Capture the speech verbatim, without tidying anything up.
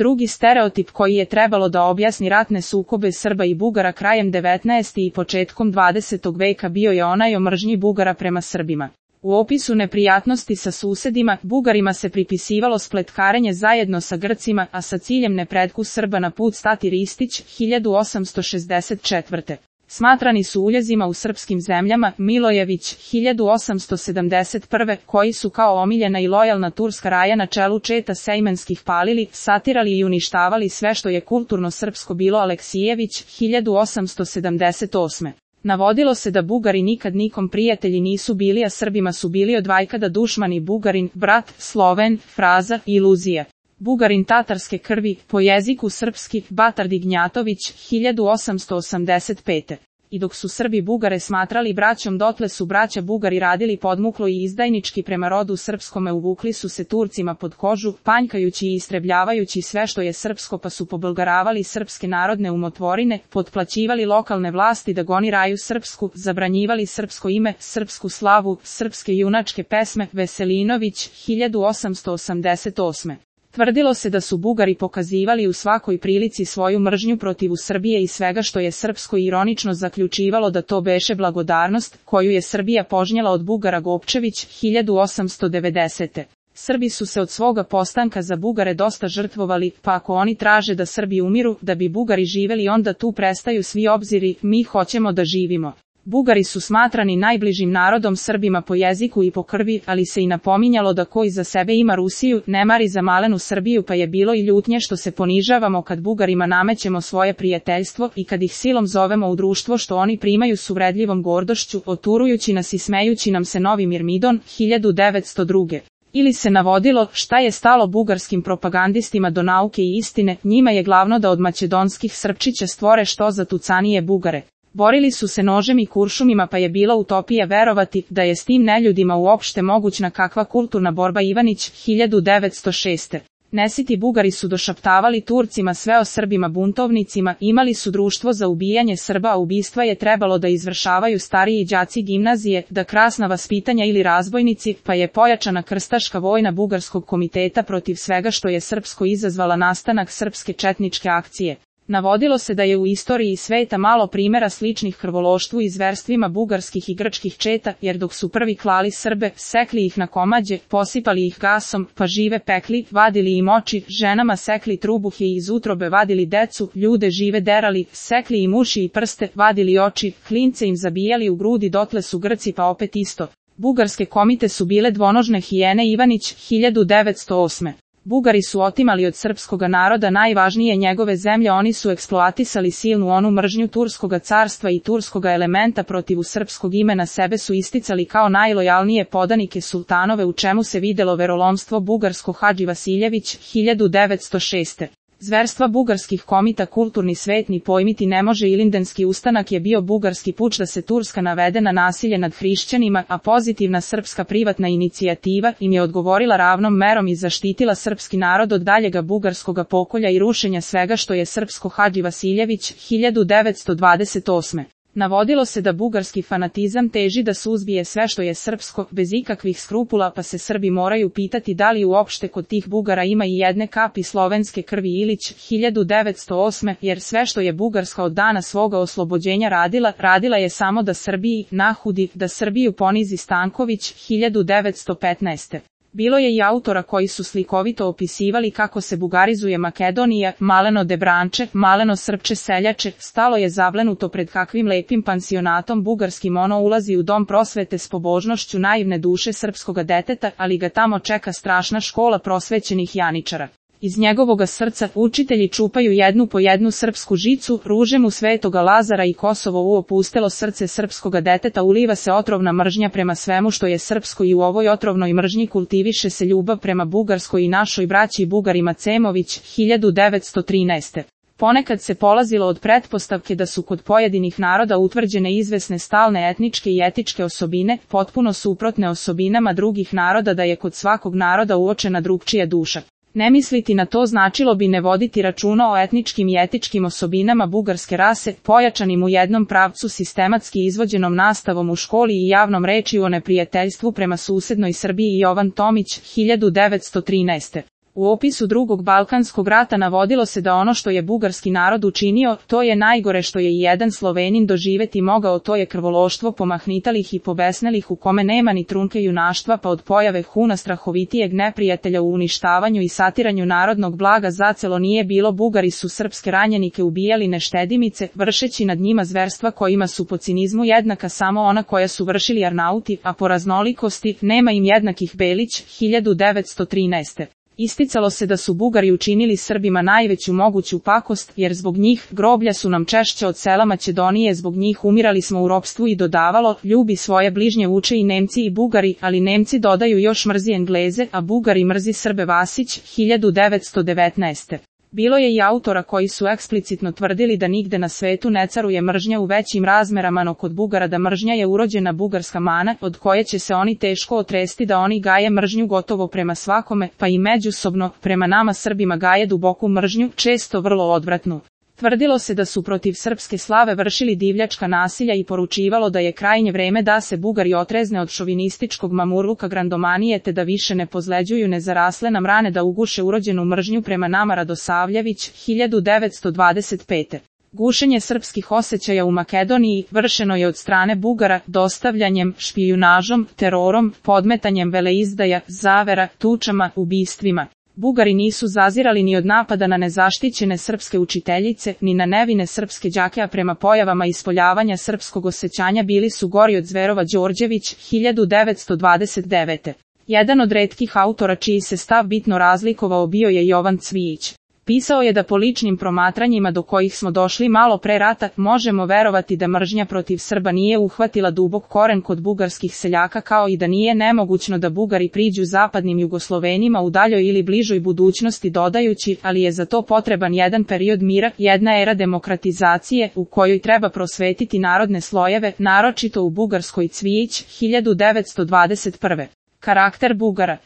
Drugi stereotip koji je trebalo da objasni ratne sukobe Srba i Bugara krajem devetnaestog i početkom dvadesetog veka bio je onaj o mržnji Bugara prema Srbima. U opisu neprijatnosti sa susedima, Bugarima se pripisivalo spletkarenje zajedno sa Grcima, a sa ciljem nepretku Srba na put stati Ristić, hiljadu osamsto šezdeset četvrte. Smatrani su uljezima u srpskim zemljama, Milojević, hiljadu osamsto sedamdeset prve, koji su kao omiljena i lojalna turska raja na čelu četa sejmenskih palili, satirali i uništavali sve što je kulturno srpsko bilo Aleksijević, hiljadu osamsto sedamdeset osme. Navodilo se da Bugari nikad nikom prijatelji nisu bili, a Srbima su bili od vajkada dušmani Bugarin, brat, Sloven, fraza, iluzija. Bugarin tatarske krvi, po jeziku srpski, Batardi Gnjatović, hiljadu osamsto osamdeset pete. I dok su Srbi Bugare smatrali braćom, dotle su braća Bugari radili podmuklo i izdajnički prema rodu srpskome, uvukli su se Turcima pod kožu, panjkajući i istrebljavajući sve što je srpsko, pa su pobulgaravali srpske narodne umotvorine, potplaćivali lokalne vlasti da goniraju srpsku, zabranjivali srpsko ime, srpsku slavu, srpske junačke pesme. Veselinović, hiljadu osamsto osamdeset osme. Tvrdilo se da su Bugari pokazivali u svakoj prilici svoju mržnju protiv Srbije i svega što je srpsko i ironično zaključivalo da to beše blagodarnost, koju je Srbija požnjela od Bugara. Gopčević, hiljadu osamsto devedesete. Srbi su se od svoga postanka za Bugare dosta žrtvovali, pa ako oni traže da Srbi umiru, da bi Bugari živeli, onda tu prestaju svi obziri, mi hoćemo da živimo. Bugari su smatrani najbližim narodom Srbima po jeziku i po krvi, ali se i napominjalo da ko iza sebe ima Rusiju, ne mari za malenu Srbiju, pa je bilo i ljutnje što se ponižavamo kad Bugarima namećemo svoje prijateljstvo i kad ih silom zovemo u društvo što oni primaju s uvredljivom gordošću, oturujući nas i smejući nam se novi Mirmidon, hiljadu devetsto druge. Ili se navodilo šta je stalo bugarskim propagandistima do nauke i istine, njima je glavno da od makedonskih Srpčića stvore što zatucanije Bugare. Borili su se nožem i kuršumima, pa je bila utopija verovati da je s tim neljudima uopšte mogućna kakva kulturna borba. Ivanić, hiljadu devetsto šeste. Nesiti Bugari su došaptavali Turcima sve o Srbima buntovnicima, imali su društvo za ubijanje Srba, a ubistva je trebalo da izvršavaju stariji đaci gimnazije, da krasna vaspitanja ili razbojnici, pa je pojačana krstaška vojna Bugarskog komiteta protiv svega što je srpsko izazvala nastanak srpske četničke akcije. Navodilo se da je u istoriji sveta malo primjera sličnih krvološtvu i zverstvima bugarskih i grčkih četa, jer dok su prvi klali Srbe, sekli ih na komađe, posipali ih gasom, pa žive pekli, vadili im oči, ženama sekli trubuhe i iz utrobe vadili decu, ljude žive derali, sekli im uši i prste, vadili oči, klince im zabijali u grudi, dotle su Grci pa opet isto. Bugarske komite su bile dvonožne hijene. Ivanić, hiljadu devetsto osme. Bugari su otimali od srpskoga naroda najvažnije njegove zemlje, oni su eksploatisali silnu onu mržnju turskoga carstva i turskoga elementa protiv srpskog imena, sebe su isticali kao najlojalnije podanike sultanove, u čemu se videlo verolomstvo bugarsko. Hadži Vasiljević, hiljadu devetsto šeste. Zverstva bugarskih komita kulturni svet ni pojmiti ne može. Ilindenski ustanak je bio bugarski puč da se Turska navede na nasilje nad hrišćanima, a pozitivna srpska privatna inicijativa im je odgovorila ravnom merom i zaštitila srpski narod od daljega bugarskoga pokolja i rušenja svega što je srpsko. Hadži Vasiljević, hiljadu devetsto dvadeset osme. Navodilo se da bugarski fanatizam teži da suzbije sve što je srpsko, bez ikakvih skrupula, pa se Srbi moraju pitati da li uopšte kod tih Bugara ima i jedne kapi slovenske krvi. Ilić, hiljadu devetsto osme. Jer sve što je Bugarska od dana svoga oslobođenja radila, radila je samo da Srbiji nahudi, da Srbiju ponizi. Stanković, hiljadu devetsto petnaeste. Bilo je i autora koji su slikovito opisivali kako se bugarizuje Makedonija, maleno debranče, maleno srpče seljače, stalo je zavlenuto pred kakvim lepim pansionatom bugarskim, ono ulazi u dom prosvete s pobožnošću naivne duše srpskoga deteta, ali ga tamo čeka strašna škola prosvećenih janičara. Iz njegovoga srca učitelji čupaju jednu po jednu srpsku žicu, ruže mu svetoga Lazara i Kosovo u opustelo srce srpskoga deteta uliva se otrovna mržnja prema svemu što je srpsko i u ovoj otrovnoj mržnji kultiviše se ljubav prema Bugarskoj i našoj braći Bugarima. Cemović, hiljadu devetsto trinaeste. Ponekad se polazilo od pretpostavke da su kod pojedinih naroda utvrđene izvesne stalne etničke i etičke osobine, potpuno suprotne osobinama drugih naroda, da je kod svakog naroda uočena drugčija duša. Ne misliti na to značilo bi ne voditi računa o etničkim i etičkim osobinama bugarske rase, pojačanim u jednom pravcu sistematski izvođenom nastavom u školi i javnom rečju o neprijateljstvu prema susednoj Srbiji. Jovan Tomić, hiljadu devetsto trinaeste. U opisu drugog Balkanskog rata navodilo se da ono što je bugarski narod učinio, to je najgore što je i jedan Slovenin doživeti mogao, to je krvološtvo pomahnitalih i pobesnelih u kome nema ni trunke junaštva, pa od pojave Huna strahovitijeg neprijatelja u uništavanju i satiranju narodnog blaga zacelo nije bilo. Bugari su srpske ranjenike ubijali neštedimice, vršeći nad njima zverstva kojima su po cinizmu jednaka samo ona koja su vršili Arnauti, a po raznolikosti nema im jednakih. Belić, hiljadu devetsto trinaeste. Isticalo se da su Bugari učinili Srbima najveću moguću pakost, jer zbog njih groblja su nam češće od sela Makedonije, zbog njih umirali smo u ropstvu, i dodavalo, ljubi svoje bližnje uče i Nemci i Bugari, ali Nemci dodaju još mrzi Engleze, a Bugari mrzi Srbe. Vasić, hiljadu devetsto devetnaeste. Bilo je i autora koji su eksplicitno tvrdili da nigde na svetu ne caruje mržnja u većim razmerama no kod Bugara, da mržnja je urođena bugarska mana, od koje će se oni teško otresti, da oni gaje mržnju gotovo prema svakome, pa i međusobno, prema nama Srbima gaje duboku mržnju, često vrlo odvratnu. Tvrdilo se da su protiv srpske slave vršili divljačka nasilja i poručivalo da je krajnje vreme da se Bugari otrezne od šovinističkog mamurluka grandomanije, te da više ne pozleđuju nezarasle nam rane, da uguše urođenu mržnju prema nama. Radosavljević, hiljadu devetsto dvadeset pete. Gušenje srpskih osjećaja u Makedoniji vršeno je od strane Bugara dostavljanjem, špijunažom, terorom, podmetanjem veleizdaja, zavera, tučama, ubistvima. Bugari nisu zazirali ni od napada na nezaštićene srpske učiteljice, ni na nevine srpske đake, a prema pojavama ispoljavanja srpskog osjećanja bili su gori od zverova. Đorđević, hiljadu devetsto dvadeset devete. Jedan od retkih autora čiji se stav bitno razlikovao bio je Jovan Cvijić. Pisao je da po ličnim promatranjima do kojih smo došli malo pre rata, možemo verovati da mržnja protiv Srba nije uhvatila dubok koren kod bugarskih seljaka, kao i da nije nemogućno da Bugari priđu zapadnim Jugoslovenima u daljoj ili bližoj budućnosti, dodajući, ali je za to potreban jedan period mira, jedna era demokratizacije, u kojoj treba prosvetiti narodne slojeve, naročito u Bugarskoj. Cvijić, hiljadu devetsto dvadeset prve. Karakter Bugara.